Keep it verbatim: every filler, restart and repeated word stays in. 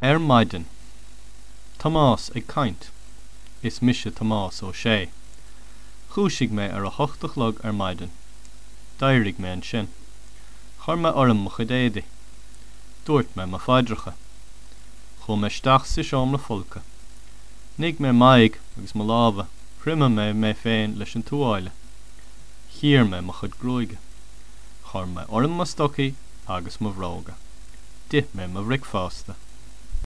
Ar maidin. Tomás ag caint. Is mise Tomás Ó Sé. Dhúisigh mé ar a hocht a chlog ar maidin. D'éirigh mé ansin. Chuir mé orm mo chuid éadaí. Dúirt mé mo phaidreacha. Chuaigh mé isteach sa seomra folctha. Nigh mé m'aghaidh agus mo lámha, thriomaigh mé mé féin leis an tuáille. Chíor mé mo chuid gruaige. Chuir mé orm mo stocaí agus mo bhróga. D'ith mé mo bhricfeasta.